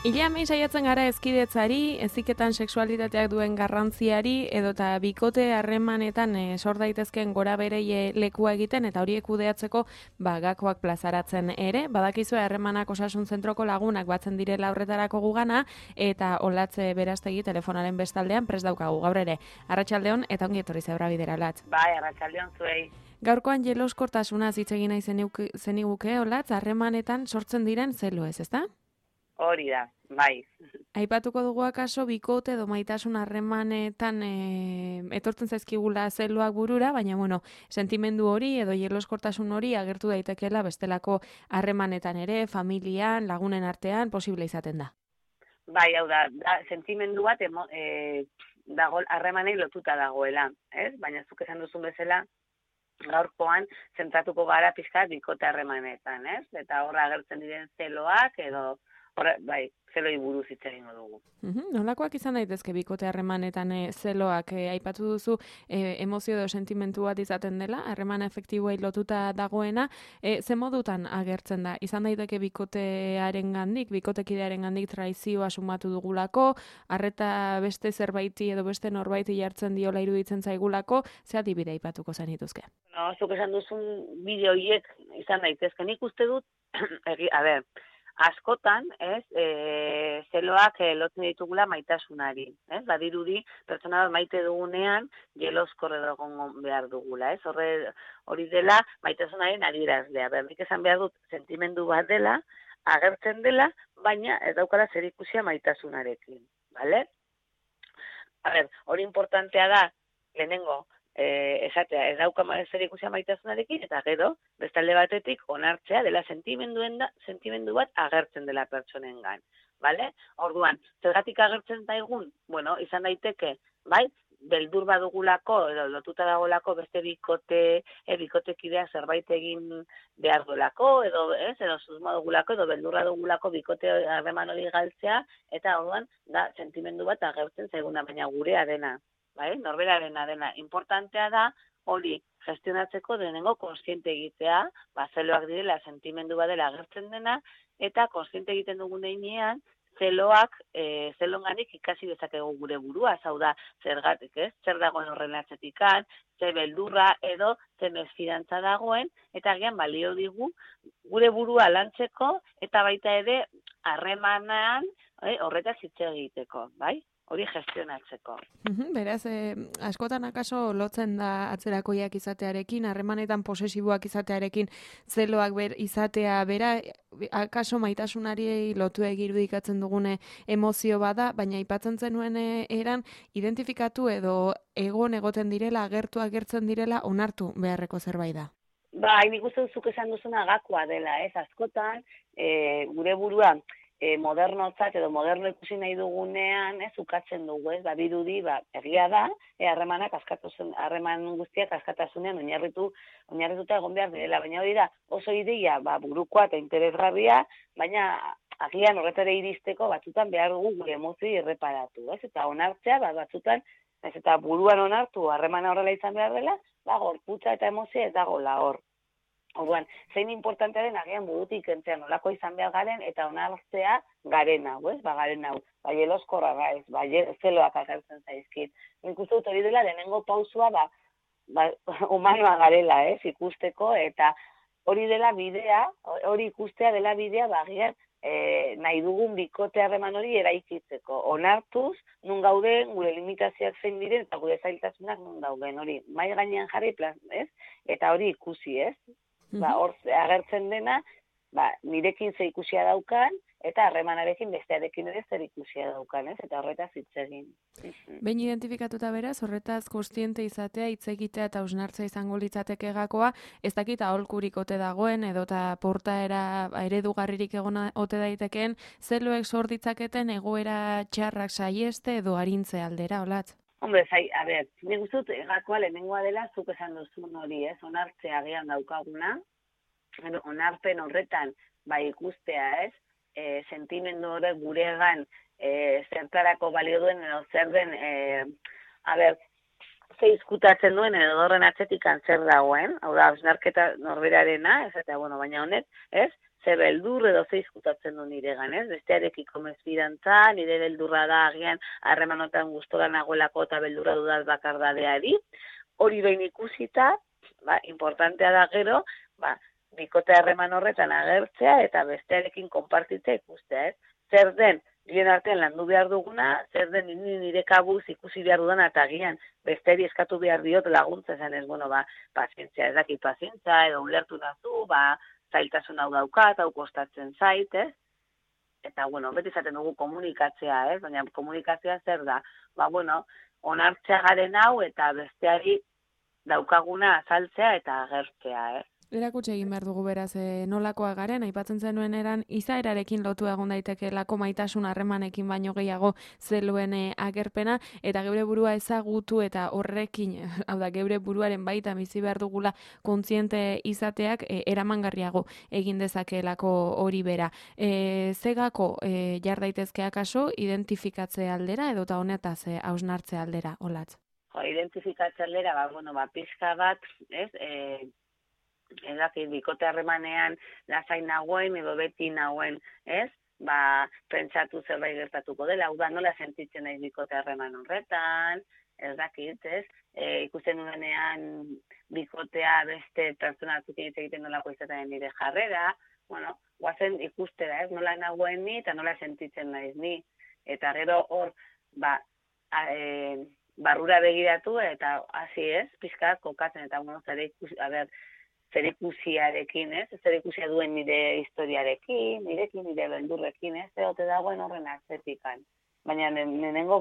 Ileamein saiatzen gara hezkidetzari, heziketan sexualitateak duen garrantziari edota bikote harremanetan sor daitezkeen gora berei lekua egiten eta horiek kudeatzeko gakoak plazaratzen ere. Badakizue harremanak osasun zentroko lagunak batzen direla horretarako gugana eta Olatz Berastegi telefonaren bestaldean prest daukagu gaur ere. Arratsaldeon eta ongi etorri Zebra Bidera, Olatz. Bai, arratsaldeon zuei. Gaurkoan jeloskortasunaz hitz egin nahi zeniguke, Olatz, harremanetan sortzen diren zeloez, ezta? Hori da, bai. Aipatuko dugu akaso bikote edo maitasun harremanetan etortzen zaizkigula zeloak burura, baina sentimendu hori edo jeloskortasun hori agertu daitekeela bestelako harremanetan ere, familian, lagunen artean, posible izaten da. Bai, hau da sentimendu bat dago harremanei lotuta dagoela, ez? Baina zuk esan duzun bezala, gaurkoan zentratuko gara pixkat bikote harremanetan, ez? Eta horra agertzen diren zeloak edo bai, zeloi buruz hitz egingo dugu. Nolakoak izan daitezke bikote harremanetan zeloak? Aipatu duzu emozio edo sentimentu bat izaten dela, harremana efektiboei lotuta dagoena. Ze modutan agertzen da? Izan daiteke bikotekidearengandik traizioa sumatu dugulako, arreta beste zerbaiti edo beste norbaiti jartzen diola iruditzen zaigulako, ze adibide aipatuko zenituzke? No, zuk esan duzun bideo horiek izan daitezke. Nik uste dut, askotan, zeloak lotzen ditugula maitasunari, badirudi pertsona bat maite dugunean jeloskor egon behar dugula, hori dela maitasunaren adierazlea. Nik esan behar dut sentimendu bat dela, agertzen dela, baina ez daukala zerikusia maitasunarekin, bale? Hori importantea da, lehenengo, esatea, ez dauka zerikusia maitasunarekin, eta gero, bestalde batetik, onartzea dela sentimendu bat agertzen dela pertsonengan, bale? Orduan, zergatik agertzen daigun, izan daiteke, bai, beldur badugulako, edo lotuta dagolako beste bikotekidea zerbait egin behar duelako, edo susmo dugulako, edo beldurra dugulako bikote harreman hori galtzea, eta orduan, da, sentimendu bat agertzen zaiguna, baina gurea dena. Bai, norberarena dena. Importantea da hori gestionatzeko denengo konsiente egitea, zeloak direla, sentimendu badela agertzen dena, eta konsiente egiten dugun heinean, zelonganik ikasi dezakegu gure burua, hau da, zergatik, zer dagoen horren atzetikan, ze beldurra edo ze mesfidantza dagoen, eta agian balio digu gure burua lantzeko, eta baita ere harremanean horretaz hitz egiteko, bai? Hori gestionatzeko. Beraz, askotan akaso lotzen da atzerakoiak izatearekin, harremanetan posesiboak izatearekin, zeloak izatea bera, akaso maitasunari lotu irudikatzen dugune emozio bada, baina aipatzen zenuen eran, identifikatu edo egoten direla, agertzen direla, onartu beharreko zerbait da. Bai, nik uste duzuk esan duzuna gakoa dela, askotan, gure burua, modernotzat edo moderno ikusi nahi dugunean, ukatzen dugu, birudi, egia da, harreman guztiak askatasunean oinarrituta egon behar direla, baina hori da, oso ideia, burukoa eta interesgarria, baina agian horretara iristeko batzutan behar dugu gure emozioi erreparatu, eta onartzea, batzutan, eta buruan onartu harremana horrela izan behar dela, gorputza eta emozioa ez dagoela hor. Orduan, zein importantea den agian burutik entzean nolako izan behar garen eta onartzea garen hau, garen hau, jeloskorra gaiz, zeloak agertzen zaizkit. Nik uste dut hori dela denengo pausua humanoa garela, ikusteko, eta hori dela bidea, hori ikustea dela bidea, agian nahi dugun bikote harreman hori eraikitzeko. Onartuz, nun gauden, gure limitazioak zein diren, eta gure zailtasunak nun dauden, hori mai gainean jarri, eta hori ikusi, hor agertzen dena, nirekin ze ikusia daukan, eta harremanarekin bestearekin ere zer ikusia daukan, eta horretaz hitz egin. Behin identifikatuta beraz, horretaz kontziente izatea, hitz egitea eta hausnartzea izango litzateke gakoa, ez dakit aholkurik ote dagoen, edota portaera eredugarririk egon ote daitekeen, zeloek sor ditzaketen egoera txarrak saieste edo arintze aldera, Olatz? Hombre, nik uste dut gakoa lehenengoa dela, zuk esan duzun hori, onartzea agian daukaguna, onarpen horretan, ikustea, sentimendu horrek guregan zertarako balio duen, edo zer den, ze izkutatzen duen, edo horren atzetikan zer dagoen, hau da, hausnarketa norberarena, baina honek, ze beldur edo ze izkutatzen du niregan, ez? Bestearekiko mesfidantza, nire beldurra da agian harremanotan gustora nagoelako eta beldurra dudat bakardadeari. Hori behin ikusita, importantea da gero, bikote harreman horretan agertzea eta bestearekin konpartitzea ikustea, ez? Zer den, bien artean landu behar duguna, zer den nire kabuz ikusi behar dudana eta agian besteri eskatu behar diot laguntza esan ez, pazientzia, ez dakit pazientza, edo ulertu nazu, zailtasun hau daukat, hau kostatzen zait, ez? Eta, beti izaten dugu komunikatzea, ez? Baina komunikazioa zer da? Onartzea garen hau eta besteari daukaguna azaltzea eta agertzea, ez? Erakutsi egin behar dugu beraz nolakoa garen, aipatzen zenuen eran izaerarekin lotu egon daiteke lako maitasun harremanekin baino gehiago zeluen agerpena, eta geure burua ezagutu eta horrekin, hau da, geure buruaren baita bizi behar dugula kontziente izateak eramangarriago egin dezakeelako hori bera. Zegako jar daitezke akaso identifikatze aldera edota honetaz hausnartze aldera, Olatz? Identifikatze aldera, pixka bat, ez? Bikote harremanean lasain nagoen edo beti nagoen, ez? Pentsatu zerbait gertatuko dela, hau da, nola sentitzen naiz bikote harreman horretan, ez dakit, ez? Ikusten duenean bikotea beste pertsona batzuk egiten nolako izaten nire jarrera, guazen ikustera, ez? Nola nagoen ni eta nola sentitzen naiz ni. Eta gero hor, barrura begiratu eta hasi, ez? Pixka kokatzen eta zer ikusiarekin, ez? Zer ikusia duen nire historiarekin, nire beldurrekin, ez? Egote dagoen horren atzetikan. Baina nenengo,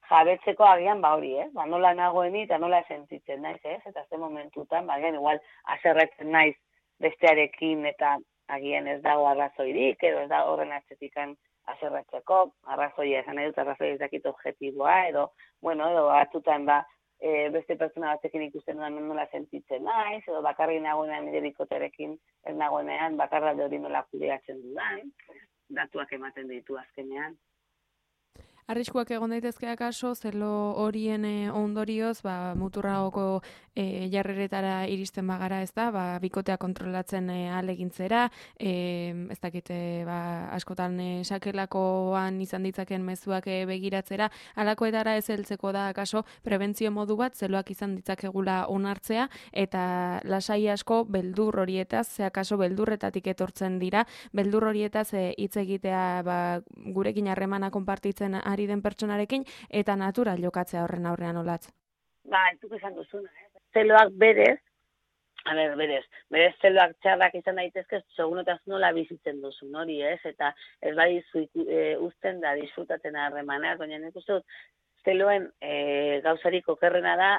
jabetzeko agian hori, ez? Nola nagoeni eta nola sentitzen naiz, ez? Eta ze momentutan, igual haserretzen naiz bestearekin eta agian ez dago arrazoirik, edo ez da horren atzetikan haserretzeko, arrazoia esan nahi dut, arrazoia ez dakit objektiboa, edo batzutan beste pertsona batzekin ikusten dudan nola sentitzen naiz, edo bakarri nagoenean nire bikoterekin ez nagoenean bakarralde hori nola kudeatzen dudan, datuak ematen ditu azkenean. Arriskuak egon daitezke akaso, zelo horien ondorioz, muturragoko jarreretara iristen bagara, ez da, bikotea kontrolatzen ahalegintzera, ez dakite, askotan sakelakoan izan ditzaken mezuak begiratzera, halakoetara ez heltzeko da akaso, prebentzio modu bat, zeloak izan ditzakegula onartzea, eta lasai asko beldur horietaz, ze akaso beldurretatik etortzen dira, beldur horietaz hitz egitea gurekin harremana konpartitzen ari den pertsonarekin, eta natural jokatzea horren aurrean, Olatz. Ez duk esan duzuna, zeloak berez zeloak txarrak izan daitezke, segunotaz nola bizitzen duzun hori, ez? Eta ez badizu uzten da disfrutatzen harremanaz, baina nik uste dut, zeloen gauzarik okerrena da,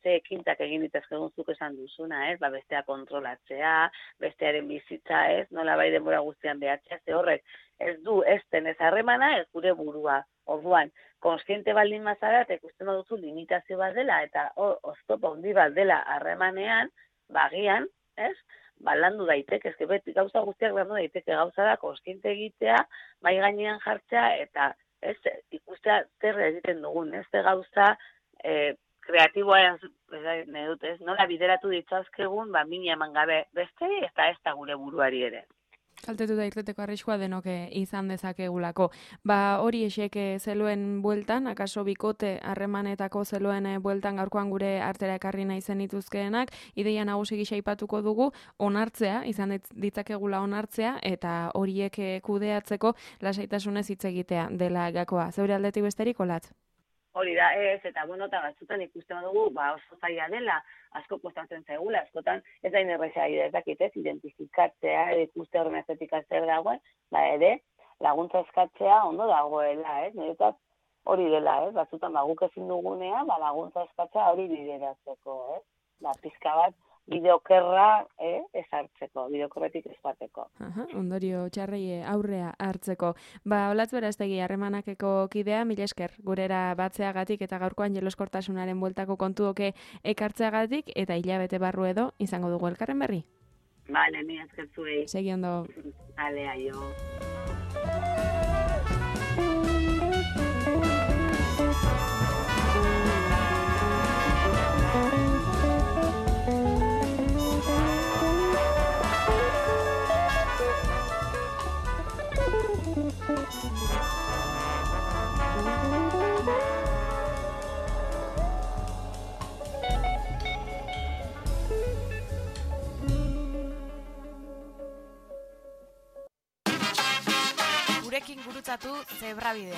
ze ekintzak egin ditezkegun zuk esan duzuna, ez? Bestea kontrolatzea, bestearen bizitza, ez? Nola bai denbora guztian behatzea, ze horrek ez du ezten ez harremana, ez gure burua. Orduan, konskiente baldin mazara, eta ikusten duzu limitazio bat dela, eta oztopa handi bat dela harremanean, bagian, ez? Landu daiteke, ez beti gauza guztiak landu daiteke, gauza da konskiente egitea, mai gainean jartzea, eta ez ikustea zer egiten dugun, ez gauza kreatiboa ez, nola bideratu ditzazkegun, mina eman gabe beste, eta ez da gure buruari ere. Kaltetu da irteteko arriskua denok izan dezakegulako. Hori esek zeluen bueltan, akaso bikote harremanetako zeluen bueltan gaurkoan gure artera ekarri nahi zen dituzkeenak, ideia nagusi gisa aipatuko dugu, onartzea, izan ditzakegula onartzea, eta horiek kudeatzeko lasaitasunez hitz egitea dela gakoa. Zeure aldetik besterik, Olatz? Hori da, ez, eta eta batzutan ikusten dugu, oso zaila dela, asko kostatzen zaigula, askotan ez da inerreza ez dakit, ez, identifikatzea, ikuste horren estetika zer dagoen, ere, laguntza eskatzea ondo dagoela, ez, niretzat hori dela, ez, batzutan guk ezin dugunean, laguntza eskatzea hori bideratzeko, ez, pizka bat, bideokerra ezartzeko, bideokerretik ezateko. Ondorio txarrei aurrea hartzeko. Olatz Berastegi harremanakeko kidea, mila esker, gurera batzeagatik eta gaurkoan jeloskortasunaren bueltako kontuoke ekartzeagatik, eta hilabete barru edo izango dugu elkarren berri. Bale, mi esker zuei. Segi ondo. Bale, aio. gurutzatu zebrabidea.